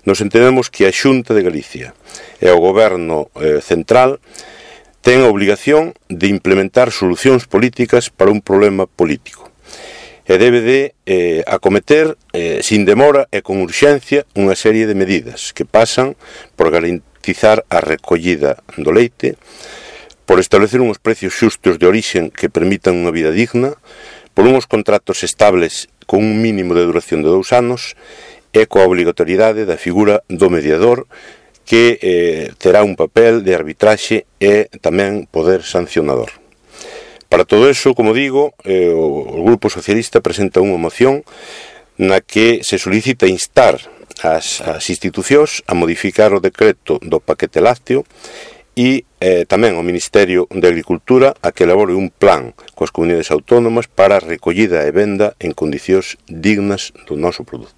nos entendemos que a Xunta de Galicia e o Goberno central ten a obligación de implementar solucións políticas para un problema político e debe de acometer sin demora e con urxencia unha serie de medidas que pasan por garantizar a recollida do leite, por establecer uns precios xustos de orixen que permitan unha vida digna, por uns contratos estables con un mínimo de duración de 2 anos e coa obrigatoriedade da figura do mediador que terá un papel de arbitraxe e tamén poder sancionador. Para todo eso, como digo, o Grupo Socialista presenta unha moción na que se solicita instar as institucións a modificar o decreto do paquete lácteo e tamén ao Ministerio de Agricultura a que elabore un plan coas comunidades autónomas para a recollida e venda en condicións dignas do noso produto.